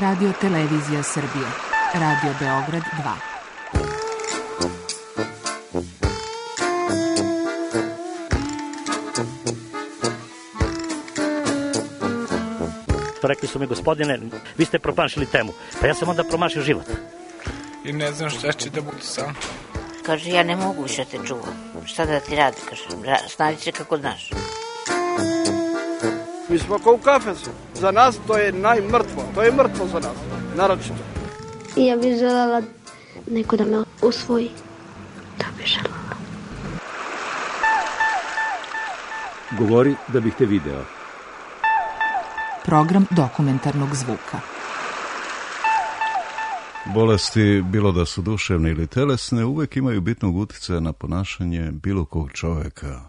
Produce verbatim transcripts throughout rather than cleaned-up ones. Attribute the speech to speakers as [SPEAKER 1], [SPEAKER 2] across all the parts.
[SPEAKER 1] Radio Televizija Srbije, Radio Beograd dva.
[SPEAKER 2] Rekli su mi, gospodine, vi ste promašili temu. Pa ja sam onda promašio život.
[SPEAKER 3] I ne znam šta će da bude sam.
[SPEAKER 4] Kaže, ja ne mogu više te čuvam. Šta da ti radi, kaže, snađi se kako znaš.
[SPEAKER 5] Mi smo kao u kafesu. Za nas to je najmrtvo. To je mrtvo za nas, naročito.
[SPEAKER 6] I ja bih želela neko da me usvoji. To bih želela.
[SPEAKER 7] Govori da bih te video.
[SPEAKER 1] Program dokumentarnog zvuka.
[SPEAKER 8] Bolesti, bilo da su duševne ili telesne, uvek imaju bitnog uticaja na ponašanje bilo kog čoveka.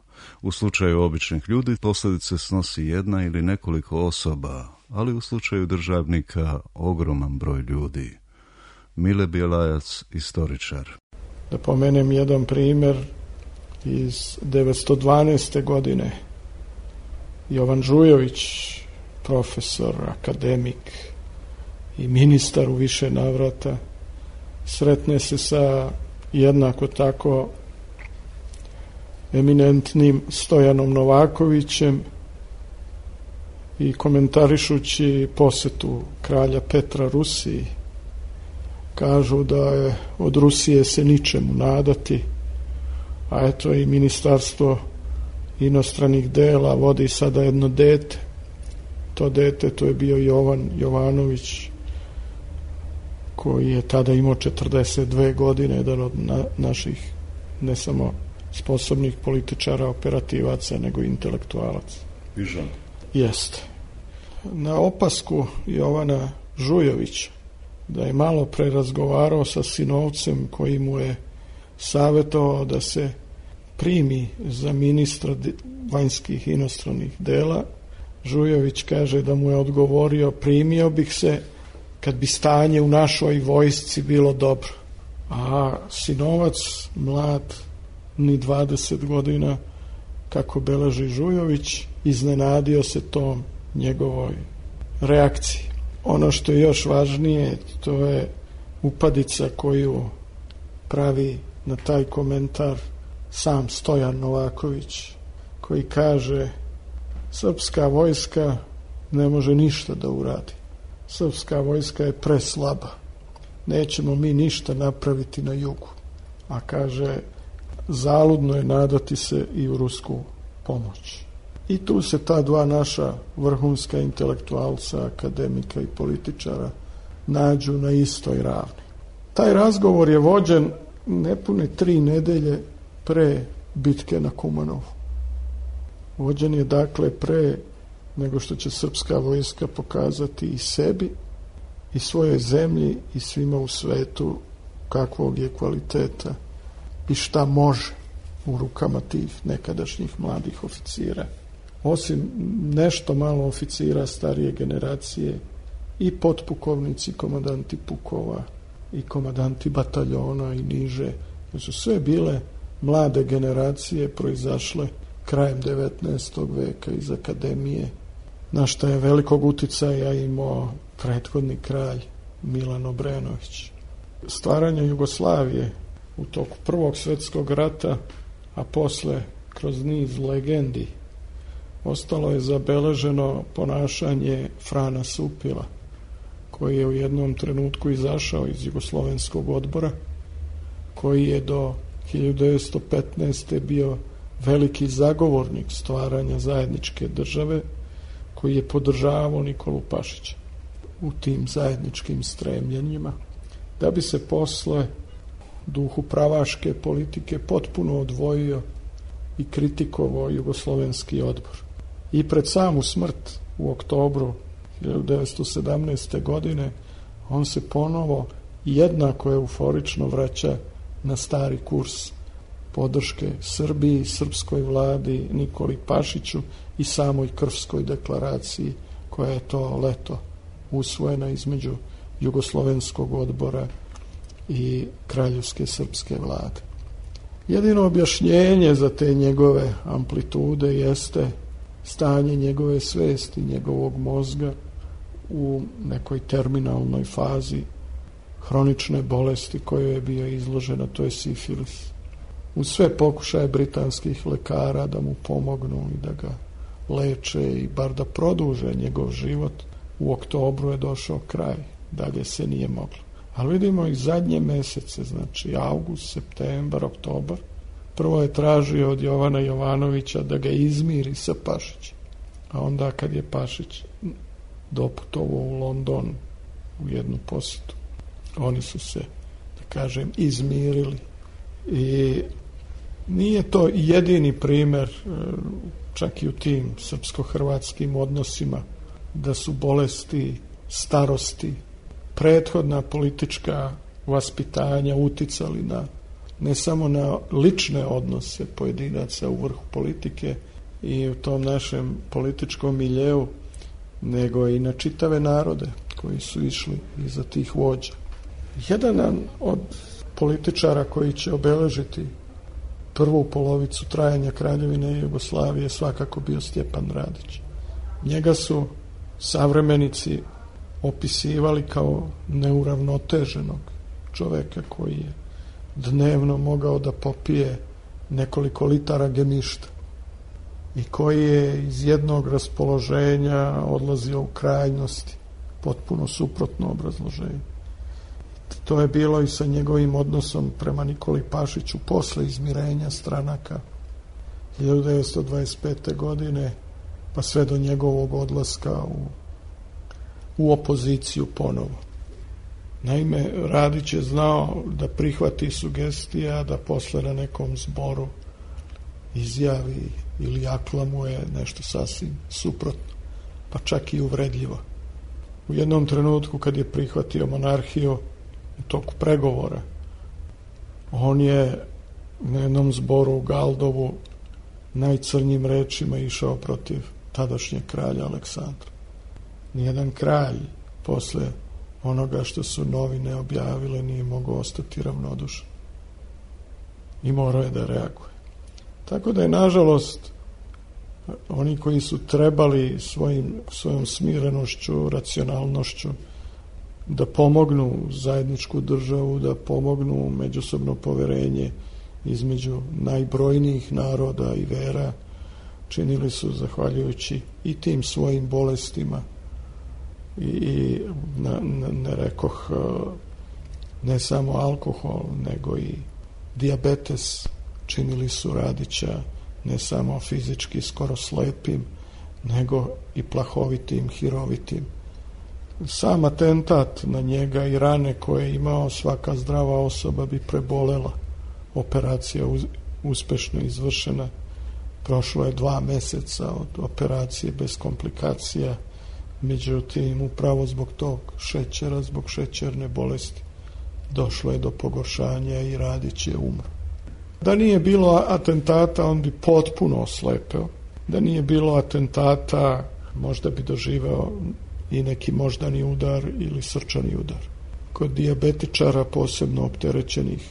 [SPEAKER 8] U slučaju običnih ljudi posljedice snosi jedna ili nekoliko osoba, ali u slučaju državnika ogroman broj ljudi. Mile Bjelajac, istoričar.
[SPEAKER 9] Da pomenem jedan primjer iz devetsto dvanaeste. godine. Jovan Žujović, profesor, akademik i ministar u više navrata, sretne se sa jednako tako eminentnim Stojanom Novakovićem i komentarišući posetu kralja Petra Rusiji, kažu da je od Rusije se ničemu nadati, a eto i Ministarstvo inostranih dela vodi sada jedno dete. To dete, to je bio Jovan Jovanović, koji je tada imao četrdeset dve godine, jedan od na, naših ne samo sposobnih političara, operativaca, nego intelektualaca.
[SPEAKER 8] Vižan.
[SPEAKER 9] Jeste. Na opasku Jovana Žujovića da je malo pre razgovarao sa sinovcem koji mu je savjetovao da se primi za ministra vanjskih inostranih dela, Žujović kaže da mu je odgovorio, primio bih se kad bi stanje u našoj vojsci bilo dobro. A sinovac, mlad, ni dvadeset godina, kako beleži Žujović, iznenadio se tom njegovoj reakciji. Ono što je još važnije, to je upadica koju pravi na taj komentar sam Stojan Novaković, koji kaže: srpska vojska ne može ništa da uradi. Srpska vojska je preslaba. Nećemo mi ništa napraviti na jugu. A kaže, zaludno je nadati se i u rusku pomoć. I tu se ta dva naša vrhunska intelektualca, akademika i političara nađu na istoj ravni. Taj razgovor je vođen nepune tri nedelje pre bitke na Kumanovu. Vođen je dakle pre nego što će srpska vojska pokazati i sebi i svojoj zemlji i svima u svetu kakvog je kvaliteta i šta može u rukama tih nekadašnjih mladih oficira. Osim nešto malo oficira starije generacije, i potpukovnici, komandanti pukova i komandanti bataljona i niže, to su sve bile mlade generacije proizašle krajem devetnaestog veka iz akademije, na šta je velikog uticaja imao prethodni kralj Milan Obrenović. Stvaranje Jugoslavije u toku Prvog svjetskog rata, a posle kroz niz legendi, ostalo je zabeleženo ponašanje Frana Supila, koji je u jednom trenutku izašao iz Jugoslovenskog odbora, koji je do hiljadu devetsto petnaeste. bio veliki zagovornik stvaranja zajedničke države, koji je podržavao Nikolu Pašića u tim zajedničkim stremljenjima, da bi se posle duhu pravaške politike potpuno odvojio i kritikovao Jugoslovenski odbor. I pred samu smrt u oktobru hiljadu devetsto sedamnaeste. godine on se ponovo jednako euforično vraća na stari kurs podrške Srbiji, srpskoj vladi, Nikoli Pašiću i samoj Krfskoj deklaraciji koja je to leto usvojena između Jugoslovenskog odbora i Kraljevske srpske vlade. Jedino objašnjenje za te njegove amplitude jeste stanje njegove svesti, njegovog mozga u nekoj terminalnoj fazi hronične bolesti koje je bio izložena, to je sifilis. U sve pokušaje britanskih lekara da mu pomognu i da ga leče i bar da produže njegov život, u oktobru je došao kraj, dalje se nije moglo. Ali vidimo i zadnje mesece, znači avgust, septembar, oktobar, prvo je tražio od Jovana Jovanovića da ga izmiri sa Pašićem, a onda kad je Pašić doputovao u London u jednu posjetu, oni su se, da kažem, izmirili. I nije to jedini primer, čak i u tim srpsko-hrvatskim odnosima, da su bolesti, starosti, prethodna politička vaspitanja uticali na, ne samo na lične odnose pojedinaca u vrhu politike i u tom našem političkom miljeu, nego i na čitave narode koji su išli iza tih vođa. Jedan od političara koji će obeležiti prvu polovicu trajanja Kraljevine Jugoslavije svakako bio Stjepan Radić. Njega su savremenici opisivali kao neuravnoteženog čoveka koji je dnevno mogao da popije nekoliko litara gemišta i koji je iz jednog raspoloženja odlazio u krajnosti, potpuno suprotno obrazloženje. To je bilo i sa njegovim odnosom prema Nikoli Pašiću posle izmirenja stranaka hiljadu devetsto dvadeset pete. godine, pa sve do njegovog odlaska u, u opoziciju ponovo. Naime, Radić je znao da prihvati sugestija, da posle na nekom zboru izjavi ili aklamuje nešto sasvim suprotno, pa čak i uvredljivo. U jednom trenutku kad je prihvatio monarhiju u toku pregovora, on je na jednom zboru u Galdovu najcrnjim rečima išao protiv tadašnjeg kralja Aleksandra. Nijedan kralj posle onoga što su novine objavile nije mogao ostati ravnodušan i morao je da reaguje. Tako da je, nažalost, oni koji su trebali svojim, svojom smirenošću, racionalnošću da pomognu zajedničku državu, da pomognu međusobno poverenje između najbrojnijih naroda i vera, činili su zahvaljujući i tim svojim bolestima i, i na, na, ne rekoh ne samo alkohol, nego i dijabetes, činili su Radića ne samo fizički skoro slepim, nego i plahovitim, hirovitim. Sam atentat na njega i rane koje je imao, svaka zdrava osoba bi prebolela. Operacija uspešno izvršena. Prošlo je dva meseca od operacije bez komplikacija. Međutim, upravo zbog tog šećera, zbog šećerne bolesti, došlo je do pogoršanja i Radić je umro. Da nije bilo atentata, on bi potpuno oslepeo. Da nije bilo atentata, možda bi doživeo i neki moždani udar ili srčani udar. Kod dijabetičara, posebno opterećenih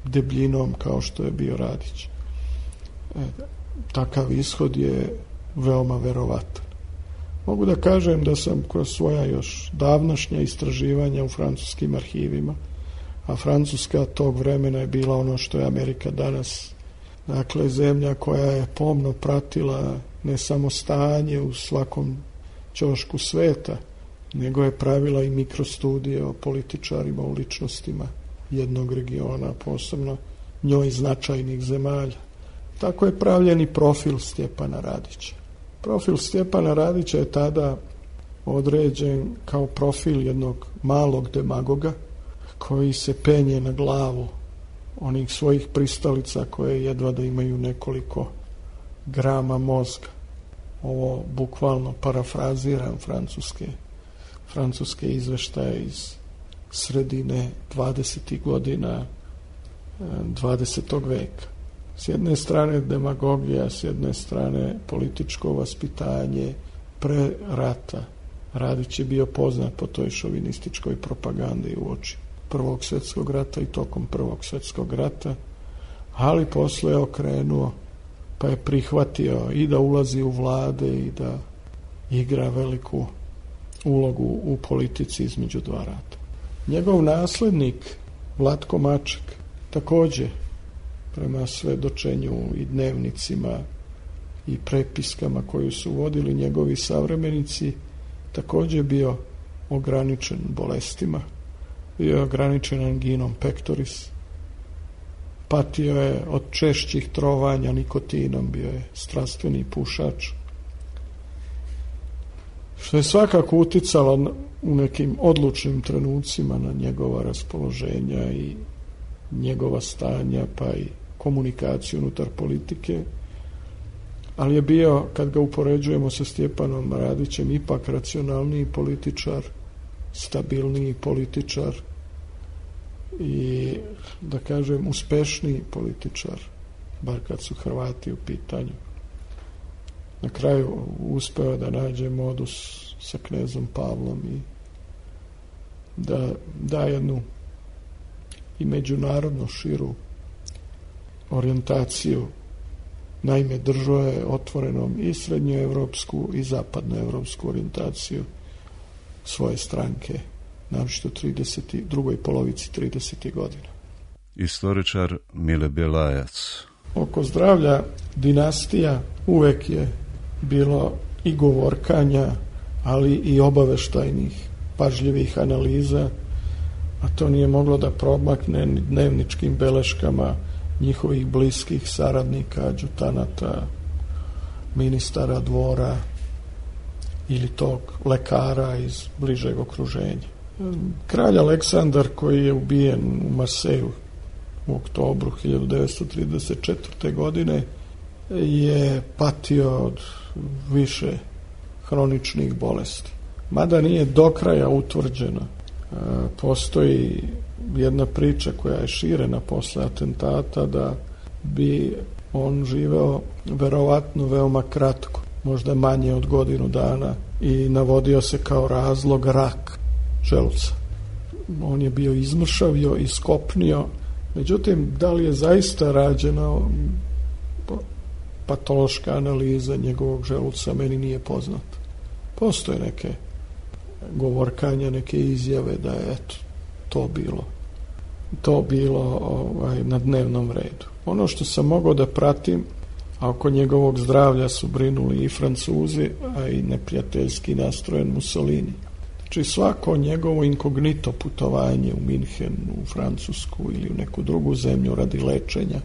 [SPEAKER 9] debljinom kao što je bio Radić, e, takav ishod je veoma verovatan. Mogu da kažem da sam kroz svoja još davnašnja istraživanja u francuskim arhivima, a Francuska tog vremena je bila ono što je Amerika danas, dakle zemlja koja je pomno pratila ne samo stanje u svakom ćošku sveta, nego je pravila i mikrostudije o političarima, o ličnostima jednog regiona, posebno njoj značajnih zemalja. Tako je pravljen i profil Stjepana Radića. Profil Stjepana Radića je tada određen kao profil jednog malog demagoga koji se penje na glavu onih svojih pristalica koje jedva da imaju nekoliko grama mozga. Ovo bukvalno parafraziram francuske, francuske izveštaje iz sredine dvadesetih godina dvadesetog veka. S jedne strane demagogija, s jedne strane političko vaspitanje pre rata. Radić je bio poznat po toj šovinističkoj propagandi uoči Prvog svjetskog rata i tokom Prvog svjetskog rata, ali posle je okrenuo pa je prihvatio i da ulazi u vlade i da igra veliku ulogu u politici između dva rata. Njegov naslednik, Vlatko Maček, također, prema svedočenju i dnevnicima i prepiskama koju su vodili njegovi savremenici, također bio ograničen bolestima, bio je ograničen anginom pectoris, patio je od češćih trovanja nikotinom, bio je strastveni pušač, što je svakako uticalo u nekim odlučnim trenucima na njegova raspoloženja i njegova stanja, pa i komunikaciju unutar politike, ali je bio, kad ga upoređujemo sa Stjepanom Radićem, ipak racionalniji političar, stabilniji političar i, da kažem, uspešniji političar, bar kad su Hrvati u pitanju. Na kraju uspeo da nađe modus sa knezom Pavlom i da da jednu i međunarodno širu orijentaciju. Naime, držao je otvorenom i srednjoevropsku i zapadnoevropsku orijentaciju svoje stranke, naročito u drugoj polovici tridesetih godina.
[SPEAKER 8] Istoričar Mile Bjelajac.
[SPEAKER 9] Oko zdravlja dinastija uvek je bilo i govorkanja, ali i obaveštajnih, pažljivih analiza, a to nije moglo da promakne ni dnevničkim beleškama njihovih bliskih saradnika, adjutanata, ministara dvora ili tog lekara iz bližeg okruženja. Kralj Aleksandar, koji je ubijen u Marseju u oktobru hiljadu devetsto trideset četvrte. godine, je patio od više hroničnih bolesti. Mada nije do kraja utvrđena. Postoji jedna priča koja je širena posle atentata da bi on živeo verovatno veoma kratko, možda manje od godinu dana, i navodio se kao razlog rak želuca. On je bio izmršavio, iskopnio, međutim, da li je zaista rađena patološka analiza njegovog želuca, meni nije poznato. Postoje neke govorkanja, neke izjave da je eto, to bilo to bilo ovaj, na dnevnom redu. Ono što sam mogao da pratim, a oko njegovog zdravlja su brinuli i Francuzi, a i neprijateljski nastrojen Mussolini. Znači svako njegovo inkognito putovanje u Minhen, u Francusku ili u neku drugu zemlju radi lečenja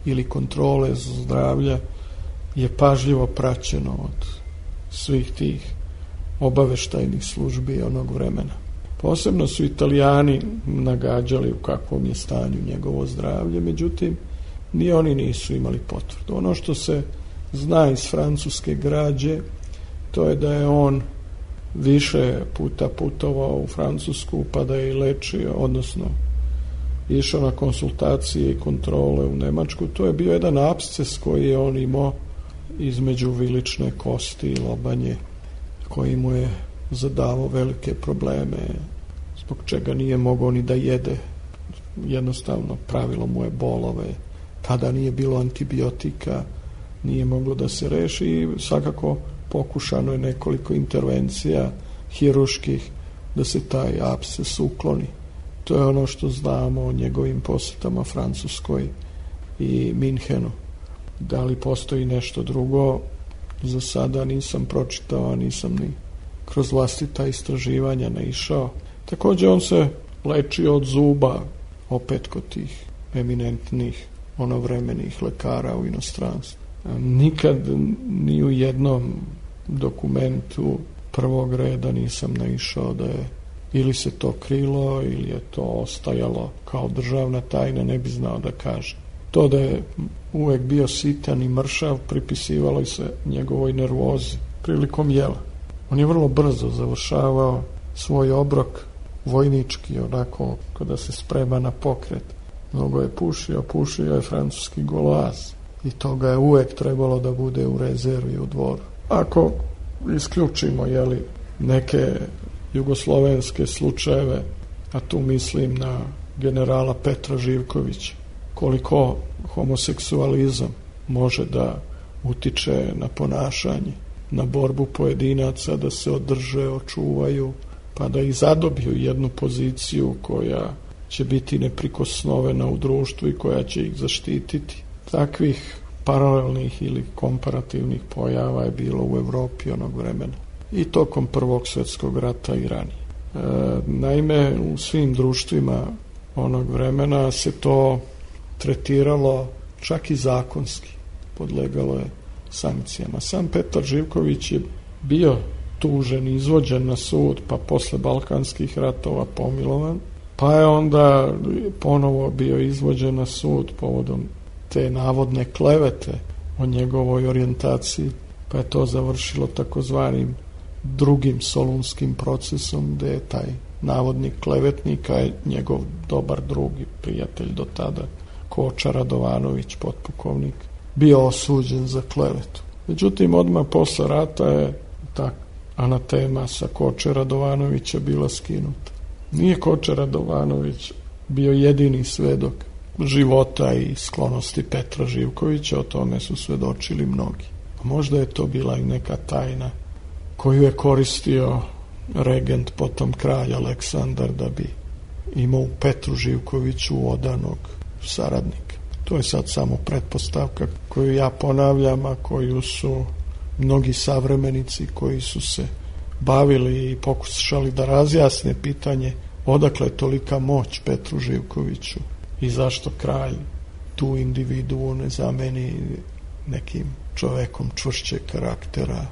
[SPEAKER 9] ili kontrole zdravlja je pažljivo praćeno od svih tih obaveštajnih službi onog vremena. Posebno su Italijani nagađali u kakvom je stanju njegovo zdravlje, međutim, ni oni nisu imali potvrdu. Ono što se zna iz francuske građe, to je da je on više puta putovao u Francusku, pa da je i lečio, odnosno išao na konsultacije i kontrole u Nemačku. To je bio jedan apsces koji je on imao između vilične kosti i lobanje, koji mu je zadavao velike probleme, zbog čega nije mogao ni da jede. Jednostavno pravilo mu je bolove, tada nije bilo antibiotika, nije moglo da se reši i svakako pokušano je nekoliko intervencija hiruških da se taj apsces ukloni. To je ono što znamo o njegovim posjetama Francuskoj i Minhenu. Da li postoji nešto drugo, za sada nisam pročitao, nisam ni kroz vlastita istraživanja naišao. Također on se lečio od zuba, opet kod tih eminentnih onovremenih lekara u inostranstvu. Nikad ni u jednom dokumentu prvog reda nisam naišao da je ili se to krilo ili je to ostajalo kao državna tajna, ne bi znao da kaže. To da je uvek bio sitan i mršav pripisivalo se njegovoj nervozi prilikom jela. On je vrlo brzo završavao svoj obrok vojnički, onako kada se sprema na pokret. Mnogo je pušio, pušio je francuski Gauloise i toga je uvek trebalo da bude u rezervi u dvoru. Ako isključimo jeli, neke jugoslovenske slučajeve, a tu mislim na generala Petra Živkovića, koliko homoseksualizam može da utiče na ponašanje na borbu pojedinaca da se održe, očuvaju, pa da i zadobiju jednu poziciju koja će biti neprikosnovena u društvu i koja će ih zaštititi. Takvih paralelnih ili komparativnih pojava je bilo u Evropi onog vremena. I tokom Prvog svjetskog rata i ranije. E, naime, u svim društvima onog vremena se to tretiralo čak i zakonski. Podlegalo je sankcijama. Sam Petar Živković je bio tužen, izvođen na sud, pa posle Balkanskih ratova pomilovan, pa je onda ponovo bio izvođen na sud povodom te navodne klevete o njegovoj orijentaciji, pa je to završilo takozvanim drugim solunskim procesom, gde je taj navodni klevetnik, a njegov dobar drug i prijatelj do tada, Koča Radovanović, potpukovnik, bio osuđen za klevetu. Međutim, odmah posle rata je ta anatema sa Koče Radovanovića bila skinuta. Nije Koča Radovanović bio jedini svedok života i sklonosti Petra Živkovića, o tome su svedočili mnogi. A možda je to bila i neka tajna koju je koristio regent, potom kralj Aleksandar, da bi imao u Petru Živkoviću odanog saradnika. To je sad samo pretpostavka koju ja ponavljam, a koju su mnogi savremenici koji su se bavili i pokušali da razjasne pitanje odakle je tolika moć Petru Živkoviću i zašto kralj tu individuo ne zameni nekim čovekom čvršćeg karaktera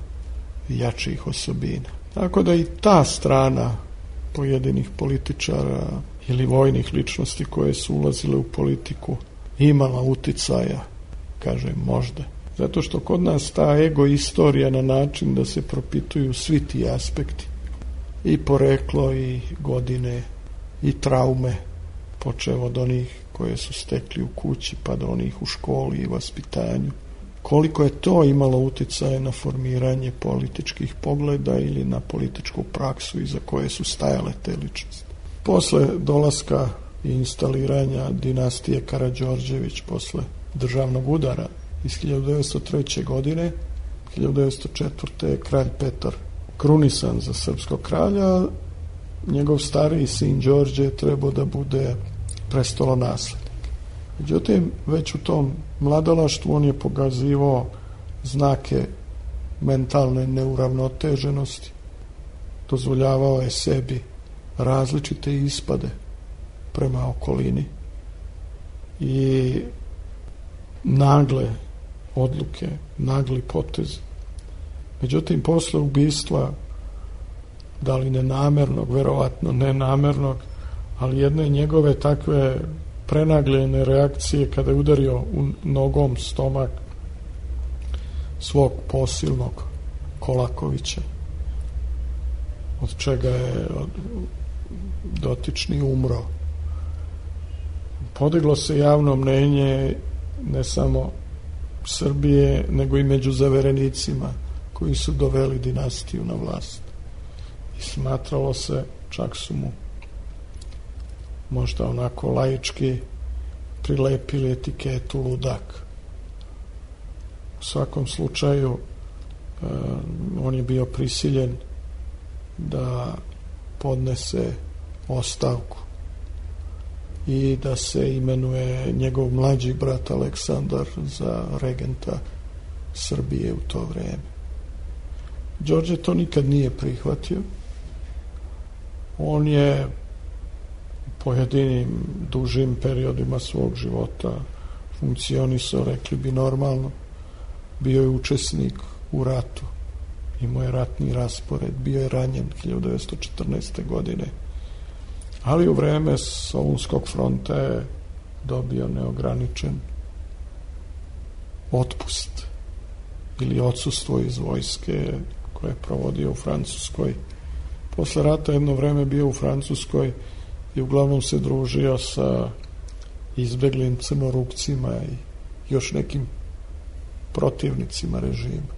[SPEAKER 9] i jačih osobina. Tako da i ta strana pojedinih političara ili vojnih ličnosti koje su ulazile u politiku imala uticaja, kažem možda. Zato što kod nas ta ego istorija na način da se propituju svi ti aspekti, i poreklo, i godine, i traume, počev od onih koje su stekli u kući pa do onih u školi i vaspitanju. Koliko je to imalo uticaja na formiranje političkih pogleda ili na političku praksu iza koje su stajale te ličnosti. Posle dolaska i instaliranja dinastije Karađorđević, posle državnog udara iz hiljadu devetsto treće. godine, hiljadu devetsto četvrte. je kralj Petar krunisan za srpskog kralja, njegov stariji sin Đorđe je trebao da bude prestolonaslednik. Međutim, već u tom mladalaštvu on je pokazivao znake mentalne neuravnoteženosti, dozvoljavao je sebi različite ispade prema okolini i nagle odluke, nagli potez. Međutim, posle ubistva, da li nenamernog, verovatno nenamernog, ali jedne njegove takve prenagljene reakcije kada je udario u nogom stomak svog posilnog Kolakovića, od čega je dotični umro. Podiglo se javno mnenje ne samo Srbije, nego i među zaverenicima koji su doveli dinastiju na vlast. I smatralo se, čak su mu možda onako laički prilepili etiketu ludak. U svakom slučaju on je bio prisiljen da podnese ostavku i da se imenuje njegov mlađi brat Aleksandar za regenta Srbije u to vreme. Đorđe to nikad nije prihvatio. On je u pojedinim dužim periodima svog života funkcionisao, rekli bi normalno, bio je učesnik u ratu, imao je ratni raspored, bio je ranjen hiljadu devetsto četrnaeste. godine, ali u vreme Solunskog fronta je dobio neograničen otpust ili odsustvo iz vojske koje je provodio u Francuskoj. Posle rata jedno vreme bio u Francuskoj i uglavnom se družio sa izbeglim crnorukcima i još nekim protivnicima režima.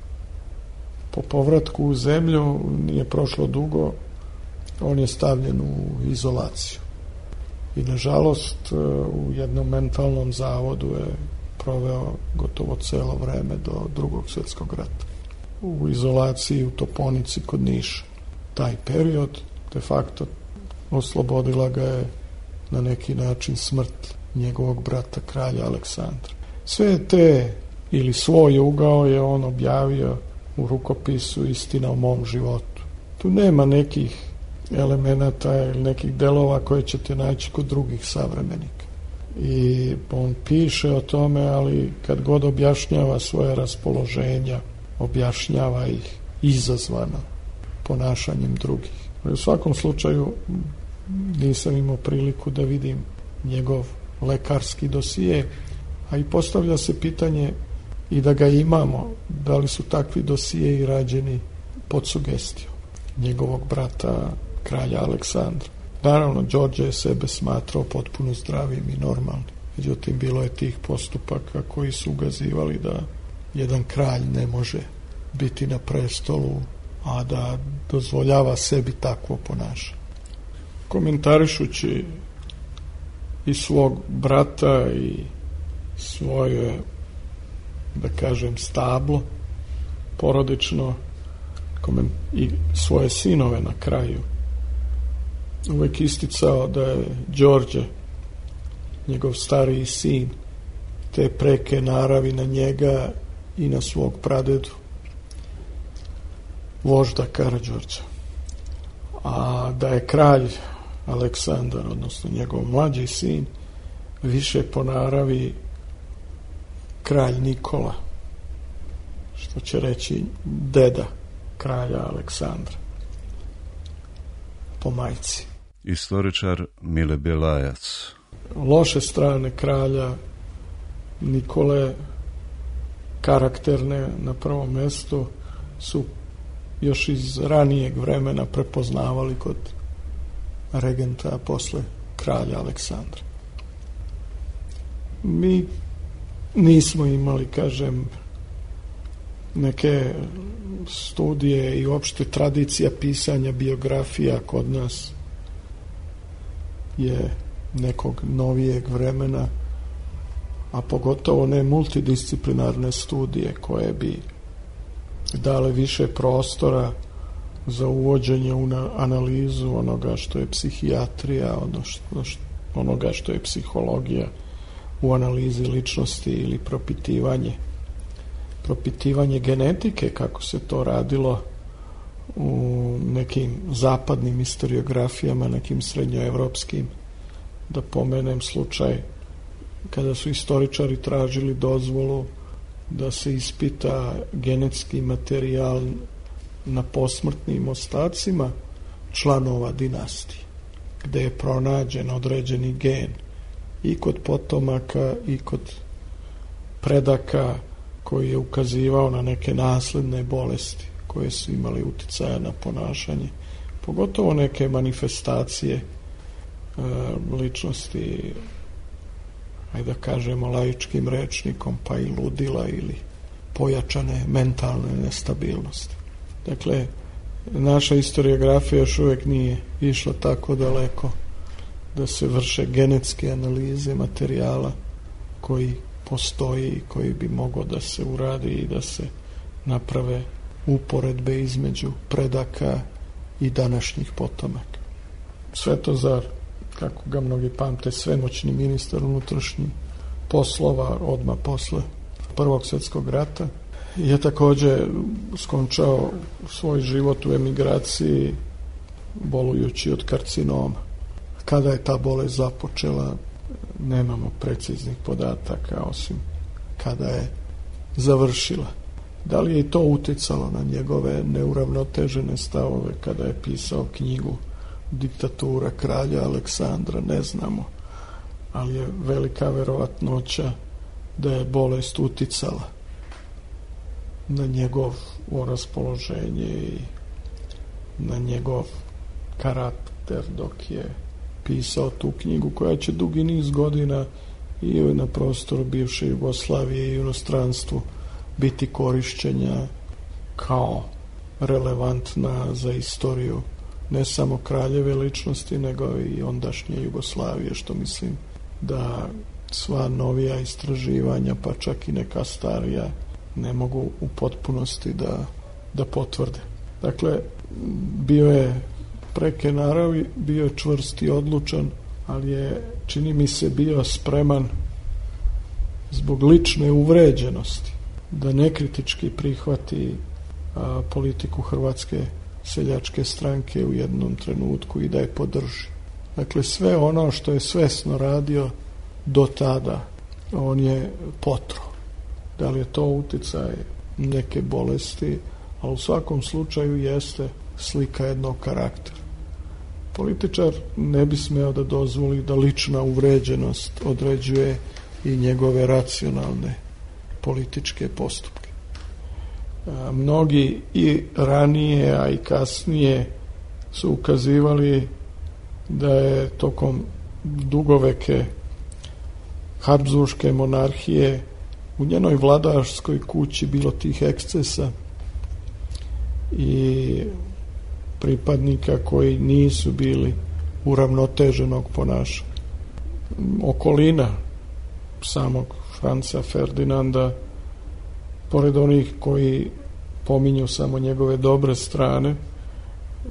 [SPEAKER 9] Po povratku u zemlju nije prošlo dugo, on je stavljen u izolaciju. I nažalost u jednom mentalnom zavodu je proveo gotovo celo vreme do Drugog svjetskog rata. u izolaciji u Toponici kod Niša. Taj period de facto oslobodila ga je na neki način smrt njegovog brata kralja Aleksandra. Sve te ili svoj ugao je on objavio u rukopisu Istina o mom životu. Tu nema nekih elemenata ili nekih delova koje ćete naći kod drugih savremenika. I on piše o tome, ali kad god objašnjava svoje raspoloženja, objašnjava ih izazvano ponašanjem drugih. U svakom slučaju nisam imao priliku da vidim njegov lekarski dosije, a i postavlja se pitanje i da ga imamo, da li su takvi dosije i rađeni pod sugestijom njegovog brata kralja Aleksandra. Naravno, Đorđe je sebe smatrao potpuno zdravim i normalnim. Međutim, bilo je tih postupaka koji su ukazivali da jedan kralj ne može biti na prestolu, a da dozvoljava sebi takvo ponašanje. Komentarišući i svog brata i svoje, da kažem, stablo porodično i svoje sinove na kraju, uvek isticao da je Đorđe, njegov stariji sin, te preke naravi na njega i na svog pradedu, vožda Karađorđa. A da je kralj Aleksandar, odnosno njegov mlađi sin, više po naravi kralj Nikola, što će reći deda kralja Aleksandra po majci.
[SPEAKER 8] Istoričar Mile Bjelajac.
[SPEAKER 9] Loše strane kralja Nikole, karakterne na prvom mestu, su još iz ranijeg vremena prepoznavali kod regenta posle kralja Aleksandra. Mi nismo imali, kažem, neke studije i uopšte tradicija pisanja biografija kod nas je nekog novijeg vremena, a pogotovo ne multidisciplinarne studije koje bi dale više prostora za uvođenje u analizu onoga što je psihijatrija, onoga što je psihologija u analizi ličnosti ili propitivanje propitivanje genetike, kako se to radilo u nekim zapadnim historiografijama, nekim srednjoevropskim. Da pomenem slučaj kada su istoričari tražili dozvolu da se ispita genetski materijal na posmrtnim ostacima članova dinastije, gde je pronađen određeni gen i kod potomaka i kod predaka koji je ukazivao na neke nasledne bolesti koje su imali uticaja na ponašanje, pogotovo neke manifestacije e, ličnosti, ajde da kažemo laičkim rečnikom, pa i ludila ili pojačane mentalne nestabilnosti. Dakle, naša historiografija još uvijek nije išla tako daleko da se vrše genetske analize materijala koji postoji i koji bi mogao da se uradi i da se naprave uporedbe između predaka i današnjih potomaka. Svetozar, kako ga mnogi pamte, svemoćni ministar unutrašnjih poslova odmah posle Prvog svjetskog rata, je također skončao svoj život u emigraciji bolujući od karcinoma. Kada je ta bolest započela, nemamo preciznih podataka, osim kada je završila. Da li je i to uticalo na njegove neuravnotežene stavove kada je pisao knjigu Diktatura kralja Aleksandra, ne znamo, ali je velika verovatnoća da je bolest uticala na njegov raspoloženje i na njegov karakter dok je pisao tu knjigu, koja će dugi niz godina i na prostoru bivše Jugoslavije i u inostranstvu biti korišćenja kao relevantna za istoriju ne samo kraljeve ličnosti, nego i ondašnje Jugoslavije, što mislim da sva novija istraživanja, pa čak i neka starija, ne mogu u potpunosti da da potvrde. Dakle, bio je preke naravi, bio je čvrst i odlučan, ali je, čini mi se, bio spreman zbog lične uvređenosti da nekritički prihvati a, politiku Hrvatske seljačke stranke u jednom trenutku i da je podrži. Dakle, sve ono što je svesno radio do tada, on je potro. Da li je to uticaj neke bolesti, ali u svakom slučaju jeste slika jednog karaktera. Političar ne bi smeo da dozvoli da lična uvređenost određuje i njegove racionalne političke postupke. A, mnogi i ranije, a i kasnije su ukazivali da je tokom dugoveke Habsburške monarhije u njenoj vladarskoj kući bilo tih ekscesa i pripadnika koji nisu bili uravnoteženog ponašanja. Okolina samog Franca Ferdinanda, pored onih koji pominju samo njegove dobre strane,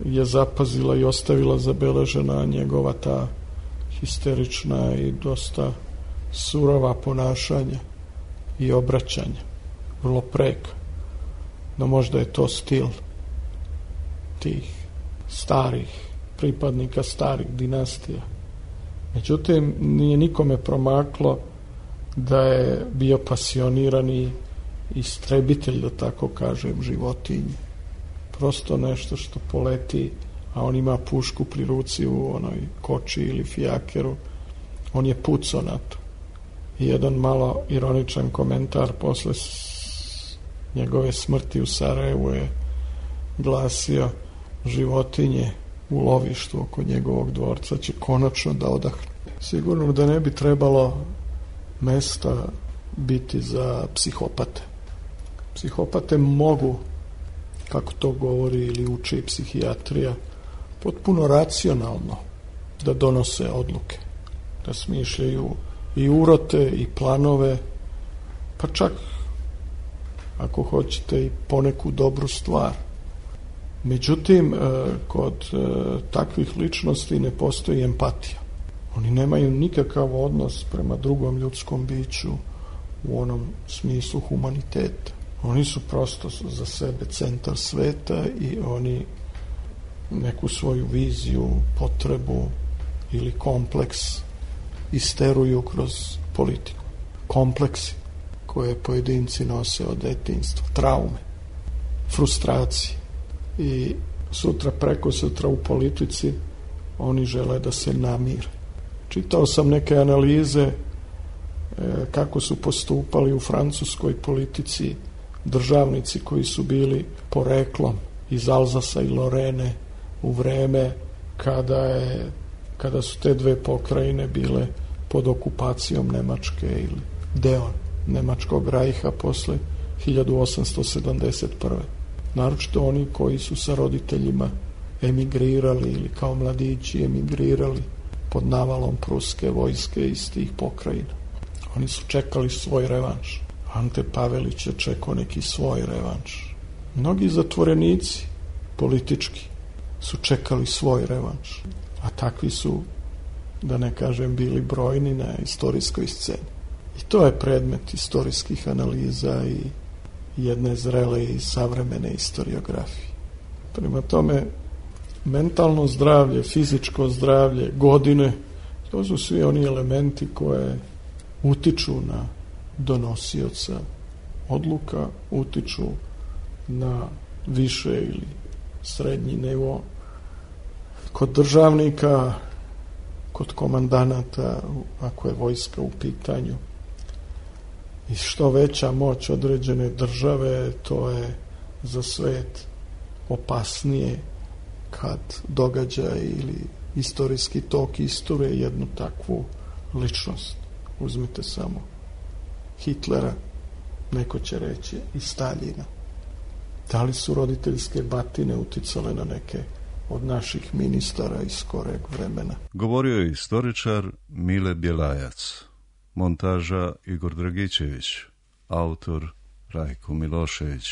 [SPEAKER 9] je zapazila i ostavila zabeležena njegova ta histerična i dosta surova ponašanja i obraćanja, vrlo preka. No možda je to stil tih starih pripadnika starih dinastija. Međutim, nije nikome promaklo da je bio pasionirani istrebitelj, da tako kažem, životinje. Prosto nešto što poleti, a on ima pušku pri ruci u onoj koči ili fijakeru, on je pucao na to. I jedan malo ironičan komentar posle njegove smrti u Sarajevu je glasio: životinje u lovištu oko njegovog dvorca će konačno da odahnu. Sigurno da ne bi trebalo mesta biti za psihopate. Psihopate mogu, kako to govori ili uči psihijatrija, potpuno racionalno da donose odluke, da smišljaju i urote i planove, pa čak, ako hoćete, i poneku dobru stvar. Međutim, kod takvih ličnosti ne postoji empatija. Oni nemaju nikakav odnos prema drugom ljudskom biću u onom smislu humaniteta. Oni su prosto za sebe centar sveta i oni neku svoju viziju, potrebu ili kompleks isteruju kroz politiku. Kompleksi koje pojedinci nose od detinjstva, traume, frustracije. I sutra, preko sutra u politici oni žele da se namire. Čitao sam neke analize e, kako su postupali u francuskoj politici državnici koji su bili poreklom iz Alzasa i Lorene u vreme kada, je, kada su te dve pokrajine bile pod okupacijom Nemačke ili deo Nemačkog rajha posle hiljadu osamsto sedamdeset prve. Naročito oni koji su sa roditeljima emigrirali ili kao mladići emigrirali pod navalom pruske vojske iz tih pokrajina. Oni su čekali svoj revanš. Ante Pavelić je čekao neki svoj revanš. Mnogi zatvorenici politički su čekali svoj revanš. A takvi su, da ne kažem, bili brojni na istorijskoj sceni. I to je predmet istorijskih analiza i jedne zrele i savremene historiografije. Prema tome, mentalno zdravlje, fizičko zdravlje, godine, to su svi oni elementi koje utiču na donosioca odluka, utiču na više ili srednji nivo. Kod državnika, kod komandanata, ako je vojska u pitanju, i što veća moć određene države, to je za svet opasnije kad događaj ili istorijski tok isture jednu takvu ličnost. Uzmite samo Hitlera, neko će reći i Staljina. Da li su roditeljske batine uticale na neke od naših ministara iz skoreg vremena?
[SPEAKER 8] Govorio je istoričar Mile Bjelajac. Montaža Igor Dragičević. Autor Rajko Milošević.